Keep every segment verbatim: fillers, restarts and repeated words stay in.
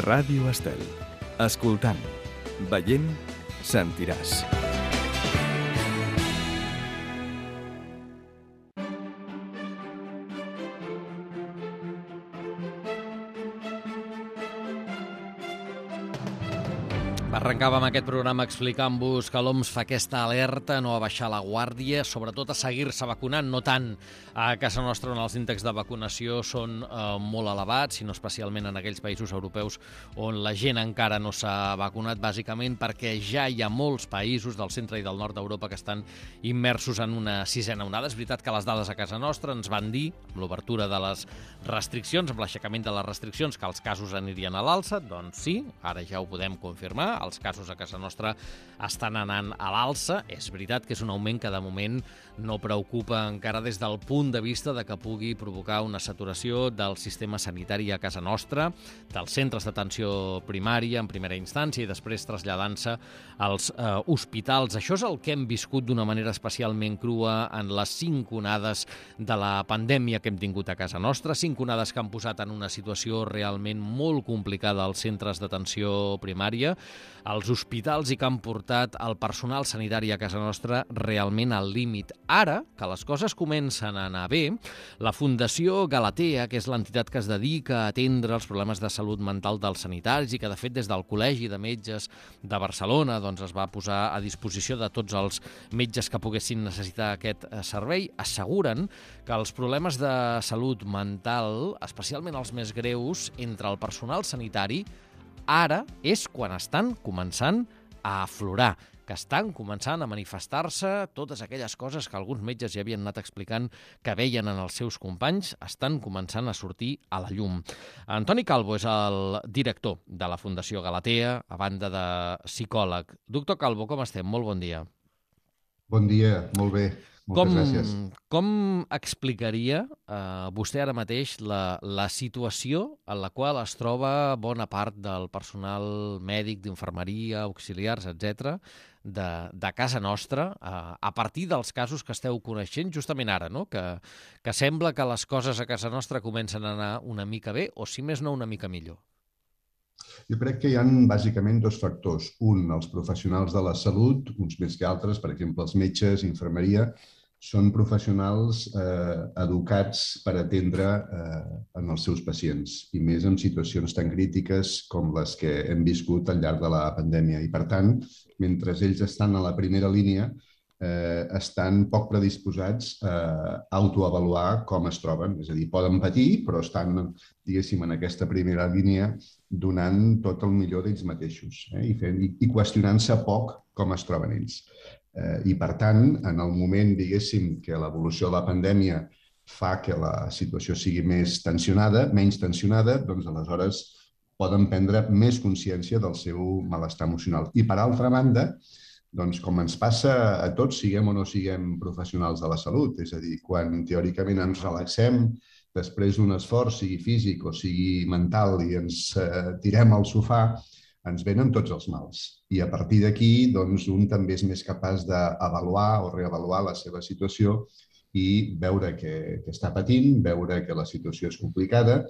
Ràdio Estel. Escoltant, veient, sentiràs. Arrencàvem aquest programa explicant-vos que l'O M S fa aquesta alerta, no a baixar la guàrdia, sobretot a seguir-se vacunant, no tant a casa nostra on els índexs de vacunació són eh, molt elevats, sinó especialment en aquells països europeus on la gent encara no s'ha vacunat, bàsicament perquè ja hi ha molts països del centre i del nord d'Europa que estan immersos en una sisena onada. És veritat que les dades a casa nostra ens van dir, amb l'obertura de les restriccions, amb l'aixecament de les restriccions, que els casos anirien a l'alça. Doncs sí, ara ja ho podem confirmar. Els casos a casa nostra estan anant a l'alça. És veritat que és un augment que de moment no preocupa encara des del punt de vista de que pugui provocar una saturació del sistema sanitari a casa nostra, dels centres d'atenció primària en primera instància i després traslladant-se als eh, hospitals. Això és el que hem viscut d'una manera especialment crua en les cinc onades de la pandèmia que hem tingut a casa nostra, cinc onades que han posat en una situació realment molt complicada als centres d'atenció primària, als hospitals i que han portat el personal sanitari a casa nostra realment al límit. Ara, que les coses comencen a anar bé, la Fundació Galatea, que és l'entitat que es dedica a atendre els problemes de salut mental dels sanitaris i que, de fet, des del Col·legi de Metges de Barcelona doncs, es va posar a disposició de tots els metges que poguessin necessitar aquest servei, asseguren que els problemes de salut mental, especialment els més greus, entre el personal sanitari, ara és quan estan començant a aflorar, que estan començant a manifestar-se totes aquelles coses que alguns metges ja havien anat explicant que veien en els seus companys, estan començant a sortir a la llum. Antoni Calvo és el director de la Fundació Galatea, a banda de psicòleg. Doctor Calvo, com estem? Molt bon dia. Bon dia, molt bé. Moltes com, gràcies. Com explicaria eh, vostè ara mateix la, la situació en la qual es troba bona part del personal mèdic, d'infermeria, auxiliars, etcètera, de, de casa nostra, eh, a partir dels casos que esteu coneixent justament ara, no? que, que sembla que les coses a casa nostra comencen a anar una mica bé, o si més no, una mica millor? Jo crec que hi ha bàsicament dos factors. Un, els professionals de la salut, uns més que altres, per exemple, els metges, infermeria, són professionals eh, educats per atendre eh, en els seus pacients, i més en situacions tan crítiques com les que hem viscut al llarg de la pandèmia. I, per tant, mentre ells estan a la primera línia, eh, estan poc predisposats a autoavaluar com es troben. És a dir, poden patir, però estan, diguéssim, en aquesta primera línia donant tot el millor d'ells mateixos, eh? I, fent, i, i qüestionant-se poc com es troben ells. Eh, I, per tant, en el moment, diguéssim, que l'evolució de la pandèmia fa que la situació sigui més tensionada, menys tensionada, doncs aleshores poden prendre més consciència del seu malestar emocional. I, per altra banda, doncs, com ens passa a tots, siguem o no siguem professionals de la salut, és a dir, quan teòricament ens relaxem després d'un esforç, sigui físic o sigui mental, i ens eh, tirem al sofà, ens venen tots els mals. I a partir d'aquí, doncs, un també és més capaç d'avaluar o reavaluar la seva situació i veure que, que està patint, veure que la situació és complicada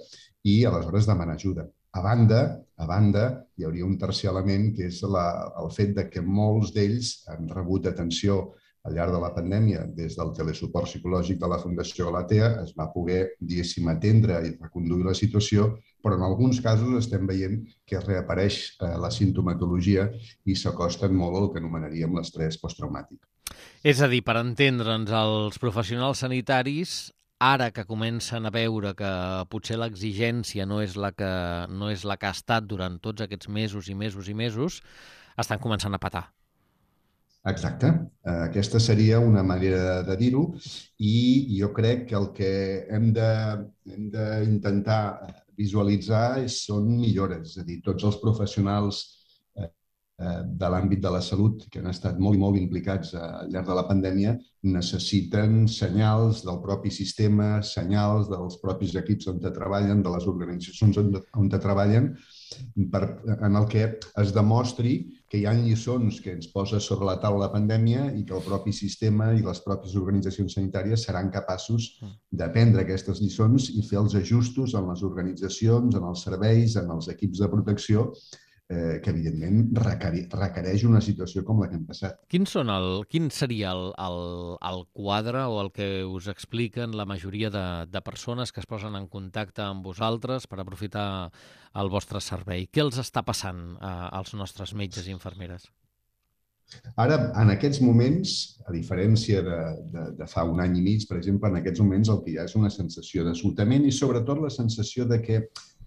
i aleshores demanar ajuda. A banda, a banda, hi hauria un tercer element, que és la, el fet de que molts d'ells han rebut atenció al llarg de la pandèmia. Des del telesuport psicològic de la Fundació Galatea es va poder, diguéssim, atendre i reconduir la situació, però en alguns casos estem veient que reapareix eh, la sintomatologia i s'acosten molt al que anomenaríem l'estrès posttraumàtic. És a dir, per entendre'ns, els professionals sanitaris, ara que comencen a veure que potser l'exigència no és la que, no és la que ha estat durant tots aquests mesos i mesos i mesos, estan començant a patar. Exacte. Aquesta seria una manera de dir-ho, i jo crec que el que hem de, hem d'intentar visualitzar són millores. És a dir, tots els professionals de l'àmbit de la salut que han estat molt i molt implicats al llarg de la pandèmia necessiten senyals del propi sistema, senyals dels propis equips on treballen, de les organitzacions on treballen, per, en el que es demostri que hi ha lliçons que ens posa sobre la taula la pandèmia i que el propi sistema i les pròpies organitzacions sanitàries seran capaços d'aprendre aquestes lliçons i fer els ajustos en les organitzacions, en els serveis, en els equips de protecció, eh, que evidentment requereix una situació com la que hem passat. Quin, són el, quin seria el, el, el quadre o el que us expliquen la majoria de, de persones que es posen en contacte amb vosaltres per aprofitar el vostre servei? Què els està passant eh, als nostres metges i infermeres? Ara, en aquests moments, a diferència de, de, de fa un any i mig, per exemple, en aquests moments el que hi ha és una sensació d'esgotament i sobretot la sensació de que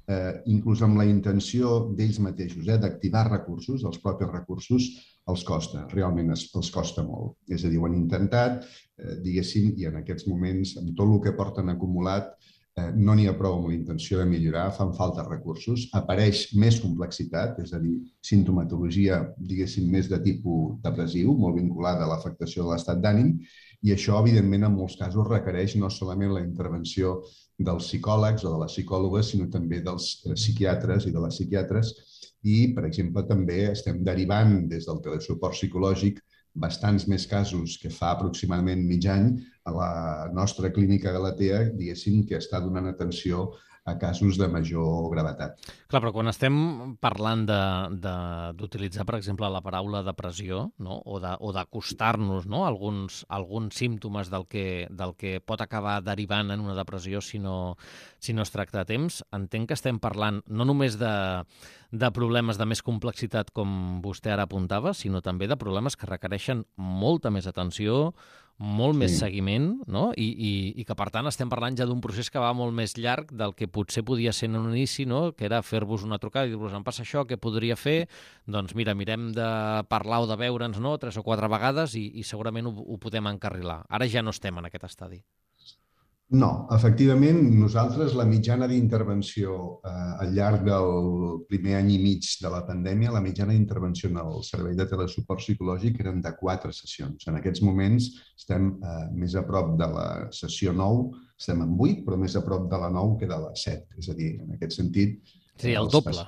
Eh, inclús amb la intenció d'ells mateixos, eh, d'activar recursos, els propis recursos, els costa, realment es, els costa molt. És a dir, ho han intentat, eh, diguéssim, i en aquests moments, amb tot el que porten acumulat, eh, no n'hi ha prou amb la intenció de millorar, fan falta recursos, apareix més complexitat, és a dir, simptomatologia, diguéssim, més de tipus depressiu, molt vinculada a l'afectació de l'estat d'ànim, i això, evidentment, en molts casos requereix no solament la intervenció dels psicòlegs o de les psicòlogues, sinó també dels psiquiatres i de les psiquiatres. I, per exemple, també estem derivant des del telesuport psicològic bastants més casos que fa aproximadament mig any a la nostra clínica Galatea, diguéssim, que està donant atenció a casos de major gravetat. Clar, però quan estem parlant d'utilitzar, per exemple, la paraula depressió, no? o d'acostar-nos, no? alguns, alguns símptomes del que, del que pot acabar derivant en una depressió si no, si no es tracta a temps, entenc que estem parlant no només de, de problemes de més complexitat, com vostè ara apuntava, sinó també de problemes que requereixen molta més atenció, molt sí. més seguiment, no? I, i, i que, per tant, estem parlant ja d'un procés que va molt més llarg del que potser podia ser en un inici, no? Que era fer-vos una trucada i dir-vos, em passa això, què podria fer? Doncs mira, mirem de parlar o de veure'ns, no?, tres o quatre vegades i, i segurament ho, ho podem encarrilar. Ara ja no estem en aquest estadi. No, efectivament, nosaltres la mitjana d'intervenció eh, al llarg del primer any i mig de la pandèmia, la mitjana d'intervenció en el servei de telesuport psicològic eren de quatre sessions. En aquests moments estem eh, més a prop de la sessió nou, estem en vuit, però més a prop de la nou que de la set. És a dir, en aquest sentit... Sí, el doble.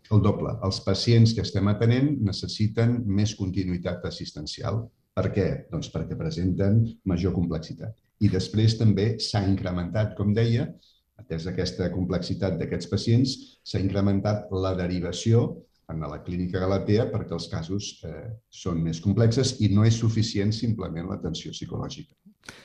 El doble. Els pacients que estem atenent necessiten més continuïtat assistencial. Per què? Doncs perquè presenten major complexitat. I després també s'ha incrementat, com deia, atès aquesta complexitat d'aquests pacients, s'ha incrementat la derivació en la clínica Galatea perquè els casos eh, són més complexes i no és suficient simplement l'atenció psicològica.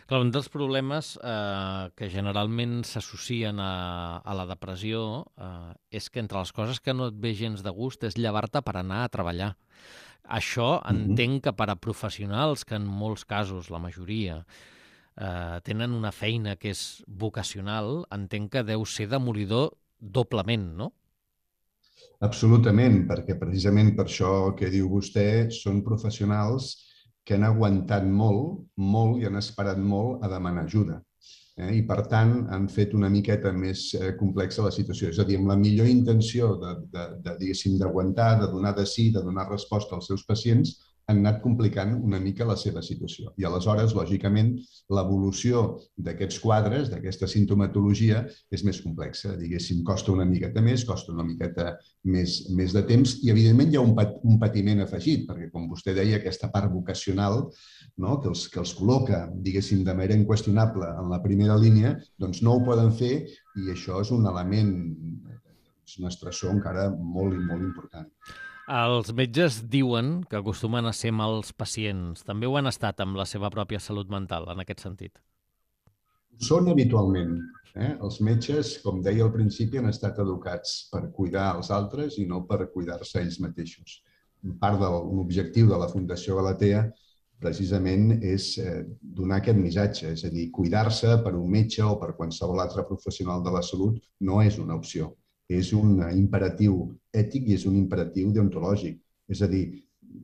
Clar, un dels problemes eh, que generalment s'associen a, a la depressió eh, és que entre les coses que no et ve gens de gust és llevar-te per anar a treballar. Això entenc que per a professionals, que en molts casos, la majoria, eh, tenen una feina que és vocacional, entenc que deu ser demolidor doblement, no? Absolutament, perquè precisament per això que diu vostè, són professionals que han aguantat molt, molt i han esperat molt a demanar ajuda. Eh? I, per tant, han fet una miqueta més eh, complexa la situació. És a dir, amb la millor intenció de, de, de, diguéssim, d'aguantar, de donar de sí, de donar resposta als seus pacients, han anat complicant una mica la seva situació. I aleshores, lògicament, l'evolució d'aquests quadres, d'aquesta simptomatologia, és més complexa. Diguéssim, costa una miqueta més, costa una miqueta més, més de temps i, evidentment, hi ha un, pat, un patiment afegit, perquè, com vostè deia, aquesta part vocacional, no?, que, els, que els col·loca, diguéssim, de manera inqüestionable en la primera línia, doncs no ho poden fer i això és un element, és un estressor encara molt i molt important. Els metges diuen que acostumen a ser mals pacients. També ho han estat amb la seva pròpia salut mental, en aquest sentit. Són habitualment. Eh? Els metges, com deia al principi, han estat educats per cuidar els altres i no per cuidar-se ells mateixos. Part de l'objectiu de la Fundació Galatea precisament és donar aquest missatge, és a dir, cuidar-se per un metge o per qualsevol altre professional de la salut no és una opció. És un imperatiu ètic i és un imperatiu deontològic. És a dir,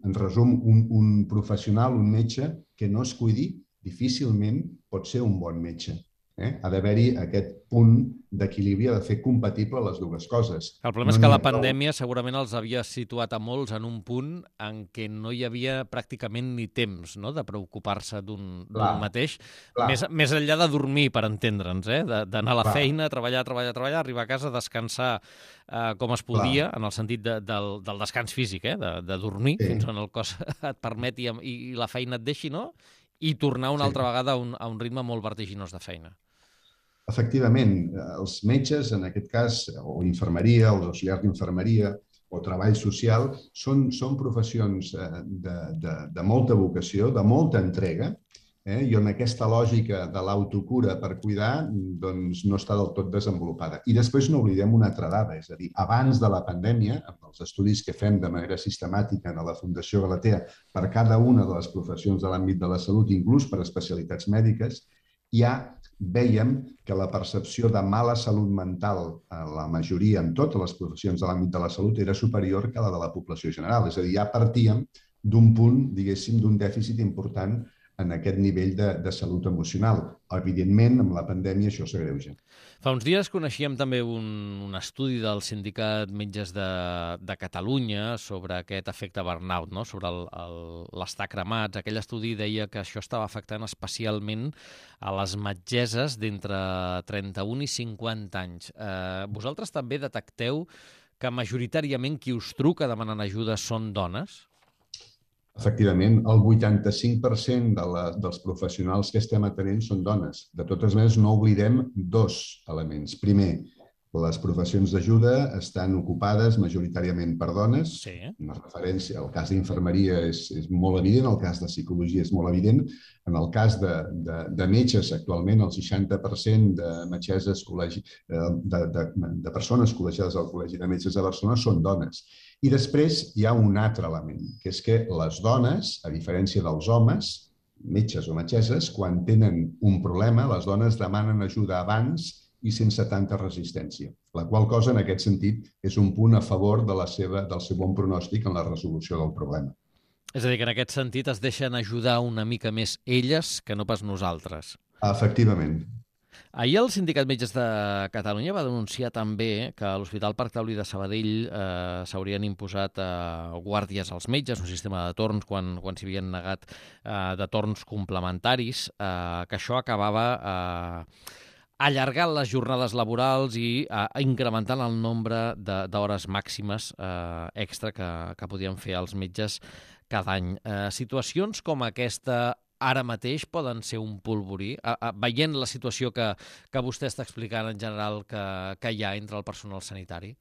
en resum, un, un professional, un metge, que no es cuidi, difícilment pot ser un bon metge. Eh? Ha d'haver-hi aquest punt d'equilibri, ha de fer compatible les dues coses. El problema No és que n'hi la ha prou. pandèmia segurament els havia situat a molts en un punt en què no hi havia pràcticament ni temps, no?, de preocupar-se d'un d'un Clar, mateix, clar, més, més enllà de dormir, per entendre'ns, eh? De- d'anar a la clar, feina, treballar, treballar, treballar, arribar a casa, descansar eh, com es clar. podia, en el sentit de, del, del descans físic, eh? de, de dormir, Sí, fins on el cos et permeti i, i la feina et deixi, no?, i tornar una sí. altra vegada a un, a un ritme molt vertiginós de feina. Efectivament, els metges, en aquest cas, o infermeria, els auxiliars d'infermeria, o treball social, són, són professions de, de, de molta vocació, de molta entrega, eh? I on aquesta lògica de l'autocura per cuidar doncs, no està del tot desenvolupada. I després no oblidem una altra dada, és a dir, abans de la pandèmia, amb els estudis que fem de manera sistemàtica a la Fundació Galatea per cada una de les professions de l'àmbit de la salut, inclús per especialitats mèdiques, ja vèiem que la percepció de mala salut mental a la majoria, en totes les professions de l'àmbit de la salut, era superior que la de la població general. És a dir, ja partíem d'un punt, diguéssim, d'un dèficit important en aquest nivell de, de salut emocional. Evidentment, amb la pandèmia això s'agreuja. Fa uns dies coneixíem també un, un estudi del Sindicat Metges de, de Catalunya sobre aquest efecte burnout, no?, sobre el, el, l'estar cremats. Aquell estudi deia que això estava afectant especialment a les metgesses d'entre trenta-un i cinquanta anys. Eh, vosaltres també detecteu que majoritàriament qui us truca demanant ajuda són dones? Efectivament, el vuitanta-cinc per cent de la, dels professionals que estem atenent són dones. De totes maneres, no oblidem dos elements. Primer, les professions d'ajuda estan ocupades majoritàriament per dones. Sí. Una referència, el cas d'infermeria és, és molt evident, el cas de psicologia és molt evident. En el cas de, de, de metges, actualment el seixanta per cent de metgesses col·legi, de, de, de persones col·legiades al Col·legi de Metges de Barcelona són dones. I després hi ha un altre element, que és que les dones, a diferència dels homes, metges o metgesses, quan tenen un problema, les dones demanen ajuda abans i sense tanta resistència, la qual cosa, en aquest sentit, és un punt a favor de la seva, del seu bon pronòstic en la resolució del problema. És a dir, que en aquest sentit es deixen ajudar una mica més elles que no pas nosaltres. Efectivament. Ahir el Sindicat Metges de Catalunya va denunciar també que a l'Hospital Parc Taulí de Sabadell eh, s'haurien imposat eh, guàrdies als metges, un sistema de torns quan, quan s'hi havien negat eh, de torns complementaris, eh, que això acabava eh, allargant les jornades laborals i eh, incrementant el nombre d'hores màximes eh, extra que, que podien fer els metges cada any. Eh, situacions com aquesta ara mateix poden ser un polvorí, a, a, veient la situació que, que vostè està explicant en general que, que hi ha entre el personal sanitari?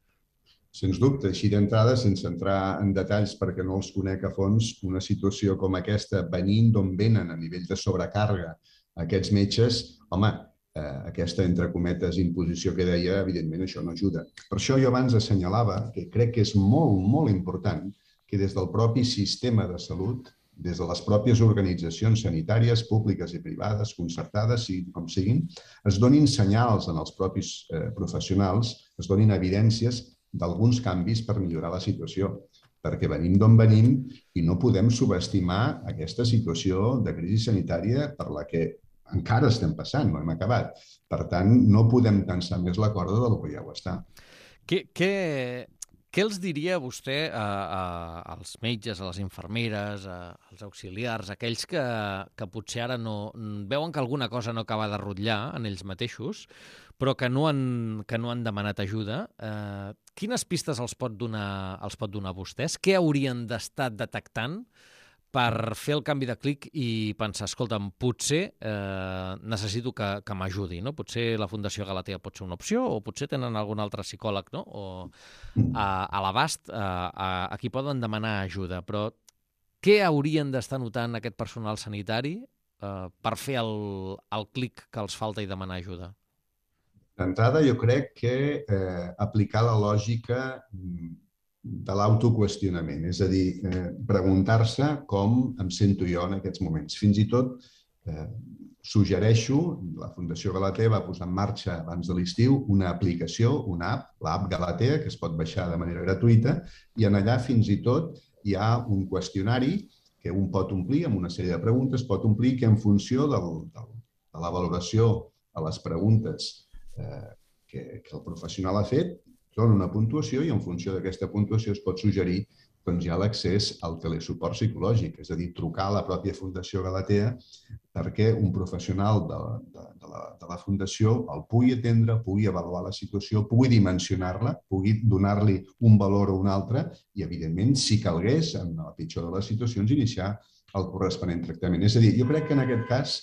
Sens dubte, així d'entrada, sense entrar en detalls perquè no els conec a fons, una situació com aquesta, venint d'on venen a nivell de sobrecàrrega aquests metges, home, eh, aquesta, entre cometes, imposició que deia, evidentment això no ajuda. Per això jo abans assenyalava que crec que és molt, molt important que des del propi sistema de salut, des de les pròpies organitzacions sanitàries, públiques i privades, concertades, com siguin, es donin senyals en els propis eh, professionals, es donin evidències d'alguns canvis per millorar la situació, perquè venim d'on venim i no podem subestimar aquesta situació de crisi sanitària per la que encara estem passant, no hem acabat. Per tant, no podem tensar més la corda del que ja ho està. Què, què, què els diria vostè a, a, als metges, a les infermeres, a, als auxiliars, aquells que, que potser ara no veuen que alguna cosa no acaba de rotllar en ells mateixos, però que no han, que no han demanat ajuda? Eh, quines pistes els pot donar, els pot donar vostès? Què haurien d'estar detectant per fer el canvi de clic i pensar, escolta'm, potser eh, necessito que, que m'ajudi, no? Potser la Fundació Galatea pot ser una opció, o potser tenen algun altre psicòleg, no? O a, a l'abast a, a, a qui poden demanar ajuda. Però què haurien d'estar notant aquest personal sanitari eh, per fer el, el clic que els falta i demanar ajuda? D'entrada, jo crec que eh, aplicar la lògica de l'autoqüestionament, és a dir, eh, preguntar-se com em sento jo en aquests moments. Fins i tot eh, suggereixo, la Fundació Galatea va posar en marxa abans de l'estiu una aplicació, una app, l'app Galatea, que es pot baixar de manera gratuïta, i en allà fins i tot hi ha un qüestionari que un pot omplir amb una sèrie de preguntes, pot omplir que en funció del, del, de la valoració a les preguntes eh, que, que el professional ha fet, dona una puntuació i en funció d'aquesta puntuació es pot suggerir doncs, ja l'accés al telesuport psicològic, és a dir, trucar a la pròpia Fundació Galatea perquè un professional de, de, de, la, de la Fundació el pugui atendre, pugui avaluar la situació, pugui dimensionar-la, pugui donar-li un valor o un altre i, evidentment, si calgués, en la pitjor de les situacions, iniciar el corresponent tractament. És a dir, jo crec que en aquest cas,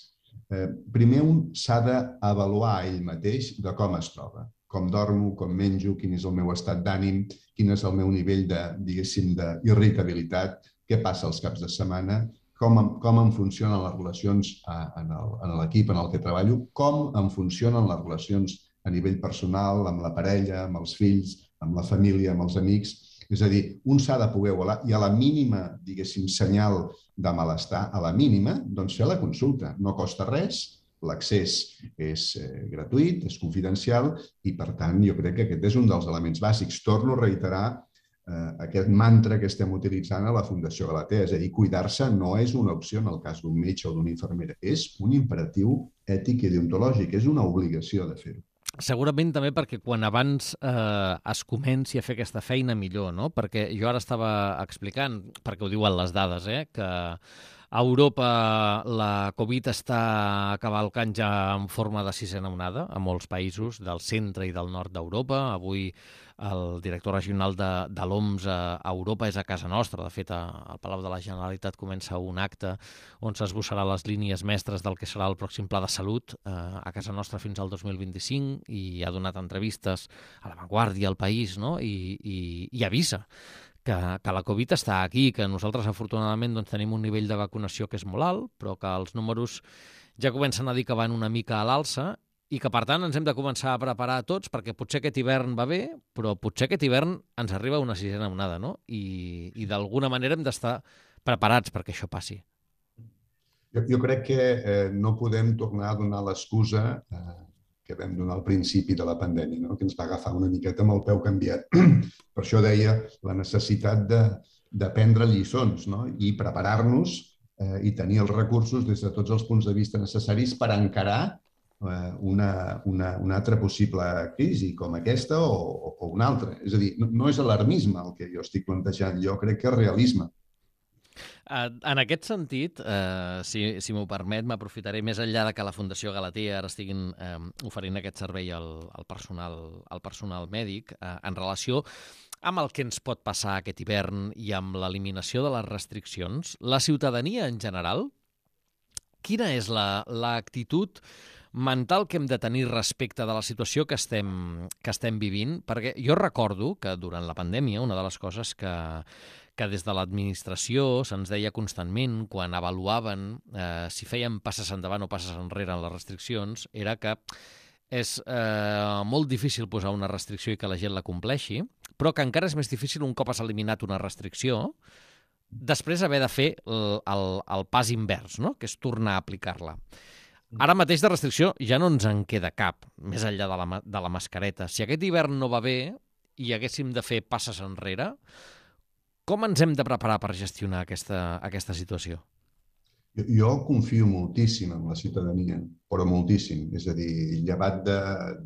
eh, primer un s'ha d'avaluar ell mateix de com es troba. Com dormo, com menjo, quin és el meu estat d'ànim, quin és el meu nivell de, diguéssim, d'irritabilitat, què passa els caps de setmana, com, com em funcionen les relacions en l'equip en el que treballo, com em funcionen les relacions a nivell personal, amb la parella, amb els fills, amb la família, amb els amics. És a dir, un s'ha de poder avaluar i a la mínima, diguéssim, senyal de malestar, a la mínima, doncs fer la consulta. No costa res, l'accés és eh, gratuït, és confidencial i, per tant, jo crec que aquest és un dels elements bàsics. Torno a reiterar eh, aquest mantra que estem utilitzant a la Fundació Galatea, és a dir, cuidar-se no és una opció en el cas d'un metge o d'una infermera, és un imperatiu ètic i deontològic, és una obligació de fer-ho. Segurament també perquè quan abans eh, es comenci a fer aquesta feina millor, no? Perquè jo ara estava explicant, perquè ho diuen les dades, eh, que a Europa la Covid està cavalcant ja en forma de sisena onada a molts països del centre i del nord d'Europa. Avui el director regional de, de l'O M S a Europa és a casa nostra. De fet, al Palau de la Generalitat comença un acte on s'esbossarà les línies mestres del que serà el pròxim pla de salut eh, a casa nostra fins al dos mil vint-i-cinc i ha donat entrevistes a La Vanguardia, al País, no? I, i, i avisa que, que la Covid està aquí, que nosaltres afortunadament doncs, tenim un nivell de vacunació que és molt alt, però que els números ja comencen a dir que van una mica a l'alça i que, per tant, ens hem de començar a preparar tots perquè potser aquest hivern va bé, però potser aquest hivern ens arriba una sisena onada, no? I, i d'alguna manera hem d'estar preparats perquè això passi. Jo, jo crec que eh, no podem tornar a donar l'excusa eh, que vam donar al principi de la pandèmia, no? Que ens va agafar una miqueta amb el peu canviat. Per això deia la necessitat de, de prendre lliçons, no? I preparar-nos eh, i tenir els recursos des de tots els punts de vista necessaris per encarar eh, una, una, una altra possible crisi com aquesta o, o una altra. És a dir, no, no és alarmisme el que jo estic plantejant, jo crec que és realisme. En aquest sentit, eh, si, si m'ho permet, m'aprofitaré més enllà de que la Fundació Galatea ara estiguin eh, oferint aquest servei al, al, personal, al personal mèdic eh, en relació amb el que ens pot passar aquest hivern i amb l'eliminació de les restriccions. La ciutadania en general, quina és l'actitud mental que hem de tenir respecte de la situació que estem, que estem vivint? Perquè jo recordo que durant la pandèmia una de les coses que que des de l'administració se'ns deia constantment, quan avaluaven eh, si feien passes endavant o passes enrere en les restriccions, era que és eh, molt difícil posar una restricció i que la gent la compleixi, però que encara és més difícil un cop has eliminat una restricció, després haver de fer el, el, el pas invers, no? Que és tornar a aplicar-la. Ara mateix de restricció ja no ens en queda cap, més enllà de la, de la mascareta. Si aquest hivern no va bé i haguéssim de fer passes enrere, com ens hem de preparar per gestionar aquesta, aquesta situació? Jo, jo confio moltíssim en la ciutadania, però moltíssim. És a dir, llevat de,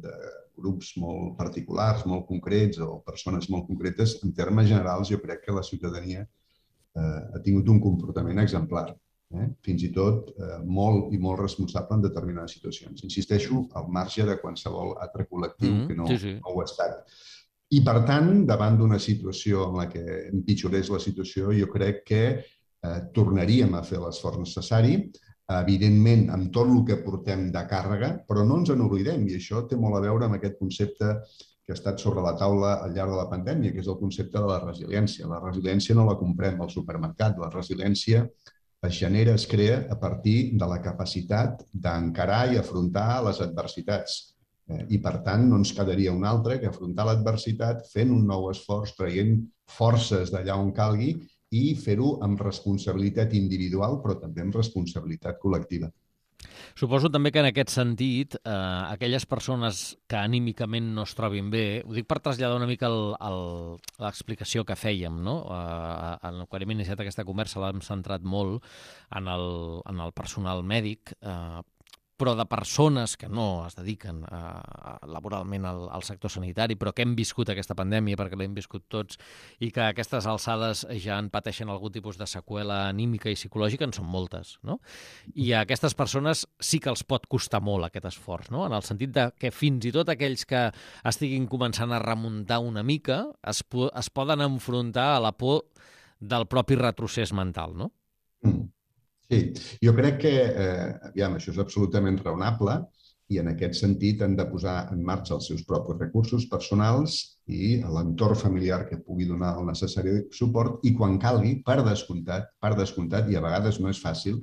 de grups molt particulars, molt concrets o persones molt concretes, en termes generals jo crec que la ciutadania eh, ha tingut un comportament exemplar. Eh? Fins i tot eh, molt i molt responsable en determinades situacions. Insisteixo, al marge de qualsevol altre col·lectiu mm-hmm, que no, sí, sí. no ho ha estat. I, per tant, davant d'una situació en la que empitjorés la situació, jo crec que eh, tornaríem a fer l'esforç necessari, evidentment, amb tot el que portem de càrrega, però no ens en oblidem, i això té molt a veure amb aquest concepte que ha estat sobre la taula al llarg de la pandèmia, que és el concepte de la resiliència. La resiliència no la comprem al supermercat, la resiliència es genera, es crea a partir de la capacitat d'encarar i afrontar les adversitats. I, per tant, no ens quedaria un altre que afrontar l'adversitat fent un nou esforç, traient forces d'allà on calgui i fer-ho amb responsabilitat individual, però també amb responsabilitat col·lectiva. Suposo també que en aquest sentit, eh, aquelles persones que anímicament no es trobin bé, ho dic per traslladar una mica l'explicació que fèiem, no? Eh, quan hem iniciat aquesta conversa l'hem centrat molt en el, en el personal mèdic, eh, però de persones que no es dediquen a, a, laboralment al, al sector sanitari, però que hem viscut aquesta pandèmia perquè l'hem viscut tots i que a aquestes alçades ja en pateixen algun tipus de seqüela anímica i psicològica, en són moltes, no? I a aquestes persones sí que els pot costar molt aquest esforç, no? En el sentit de que fins i tot aquells que estiguin començant a remuntar una mica es, es poden enfrontar a la por del propi retrocés mental, no? Mm. Sí, jo crec que, eh, aviam, això és absolutament raonable i en aquest sentit han de posar en marxa els seus propis recursos personals i l'entorn familiar que pugui donar el necessari suport i quan calgui, per descomptat, per descomptat, i a vegades no és fàcil,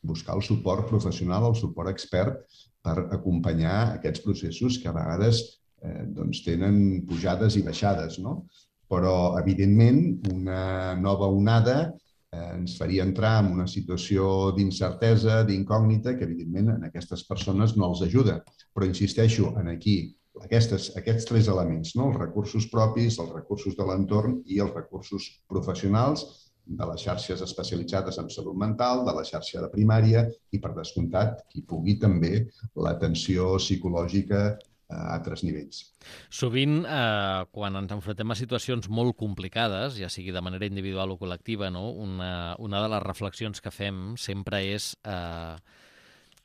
buscar el suport professional, el suport expert per acompanyar aquests processos que a vegades eh, doncs tenen pujades i baixades, no? Però, evidentment, una nova onada ens faria entrar en una situació d'incertesa, d'incògnita, que evidentment en aquestes persones no els ajuda. Però insisteixo en aquí, aquestes, aquests tres elements, no? Els recursos propis, els recursos de l'entorn i els recursos professionals de les xarxes especialitzades en salut mental, de la xarxa de primària i, per descomptat, qui pugui també l'atenció psicològica a altres nivells. Sovint, eh, quan ens enfrontem a situacions molt complicades, ja sigui de manera individual o col·lectiva, no? una, una de les reflexions que fem sempre és eh,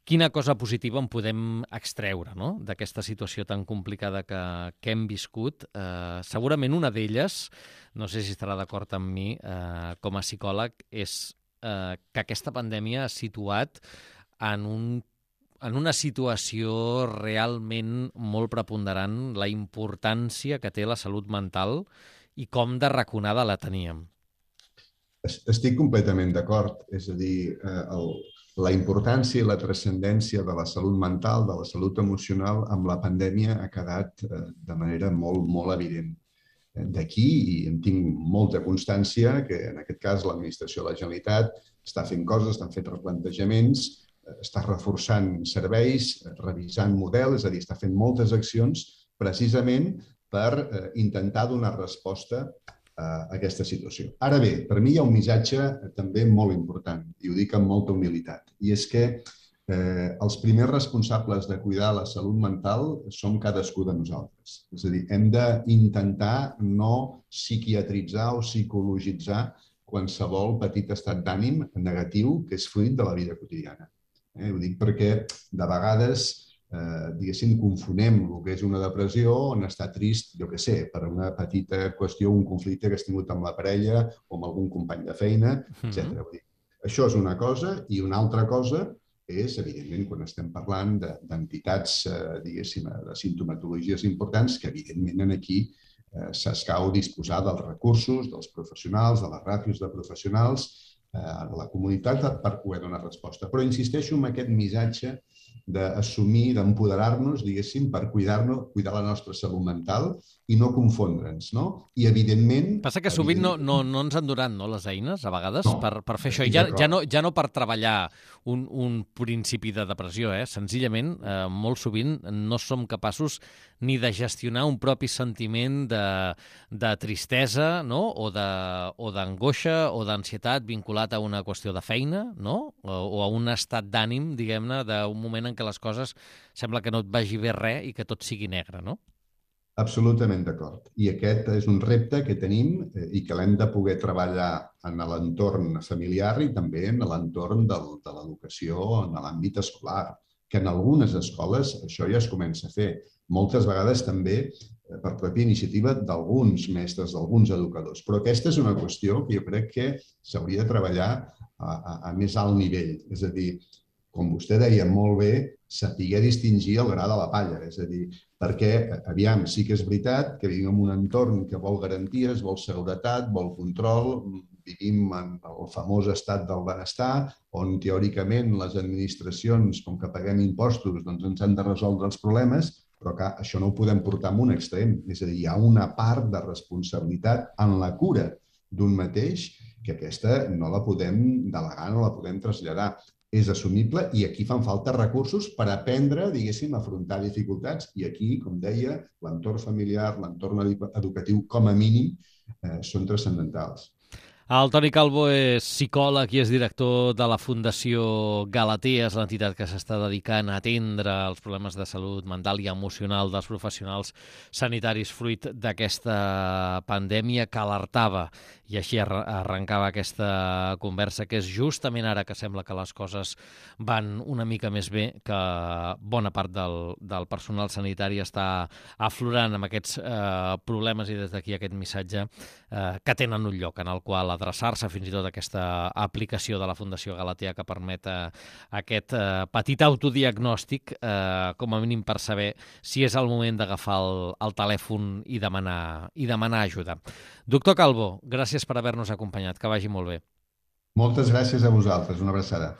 quina cosa positiva en podem extreure, no? D'aquesta situació tan complicada que, que hem viscut. Eh, segurament una d'elles, no sé si estarà d'acord amb mi, eh, com a psicòleg, és eh, que aquesta pandèmia ha situat en un en una situació realment molt preponderant la importància que té la salut mental i com de raconada la teníem. Estic completament d'acord. És a dir, el, la importància i la transcendència de la salut mental, de la salut emocional, amb la pandèmia ha quedat de manera molt, molt evident. D'aquí, i en tinc molta constància, que en aquest cas l'Administració de la Generalitat està fent coses, estan fent replantejaments, està reforçant serveis, revisant models, és a dir, està fent moltes accions precisament per eh, intentar donar resposta a aquesta situació. Ara bé, per mi hi ha un missatge també molt important, i ho dic amb molta humilitat, i és que eh, els primers responsables de cuidar la salut mental som cadascú de nosaltres. És a dir, hem d'intentar no psiquiatritzar o psicologitzar qualsevol petit estat d'ànim negatiu que és fruit de la vida quotidiana. Eh, ho dic perquè de vegades, eh, diguéssim, confonem el que és una depressió on està trist, jo què sé, per una petita qüestió, un conflicte que has tingut amb la parella o amb algun company de feina, etcètera. Vull dir, això és una cosa i una altra cosa és, evidentment, quan estem parlant d'entitats, eh, diguéssim, de simptomatologies importants, que evidentment aquí eh, s'escau disposar dels recursos, dels professionals, de les ràtios de professionals, a la comunitat per poder donar resposta. Però insisteixo en aquest missatge d'assumir, d'empoderar-nos, diguéssim, per cuidar-nos, cuidar la nostra salut mental i no confondre'ns, no? I, evidentment... Passa que sovint no, no, no ens han donat no, les eines, a vegades, no, per, per fer això. I ja, ja, no, ja no per treballar un, un principi de depressió, eh? Senzillament, eh, molt sovint no som capaços ni de gestionar un propi sentiment de, de tristesa, no? o d'angoixa o d'ansietat vinculat a una qüestió de feina, no? o, o a un estat d'ànim, diguem-ne, d'un moment en què les coses sembla que no et vagi bé res i que tot sigui negre, no? Absolutament d'acord. I aquest és un repte que tenim i que l'hem de poder treballar en l'entorn familiar i també en l'entorn de l'educació en l'àmbit escolar, que en algunes escoles això ja es comença a fer. Moltes vegades també per pròpia iniciativa d'alguns mestres, d'alguns educadors. Però aquesta és una qüestió que jo crec que s'hauria de treballar a, a, a més alt nivell. És a dir, com vostè deia molt bé, saber distingir el gra de la palla. És a dir, perquè, aviam, sí que és veritat que vivim en un entorn que vol garanties, vol seguretat, vol control, vivim en el famós estat del benestar, on teòricament les administracions, com que paguem impostos, doncs ens han de resoldre els problemes, però que això no ho podem portar a un extrem. És a dir, hi ha una part de responsabilitat en la cura d'un mateix que aquesta no la podem delegar, no la podem traslladar. És assumible i aquí fan falta recursos per aprendre, diguéssim, a afrontar dificultats. I aquí, com deia, l'entorn familiar, l'entorn educatiu, com a mínim, eh, són transcendentals. El Toni Calvo és psicòleg i és director de la Fundació Galatea, és l'entitat que s'està dedicant a atendre els problemes de salut mental i emocional dels professionals sanitaris fruit d'aquesta pandèmia que alertava, i així arrencava aquesta conversa, que és justament ara que sembla que les coses van una mica més bé, que bona part del, del personal sanitari està aflorant amb aquests eh, problemes, i des d'aquí aquest missatge eh, que tenen un lloc en el qual adreçar-se, fins i tot aquesta aplicació de la Fundació Galatea que permet eh, aquest eh, petit autodiagnòstic, eh, com a mínim per saber si és el moment d'agafar el, el telèfon i demanar, i demanar ajuda. Doctor Calvo, gràcies per haver-nos acompanyat, que vagi molt bé. Moltes gràcies a vosaltres, una abraçada.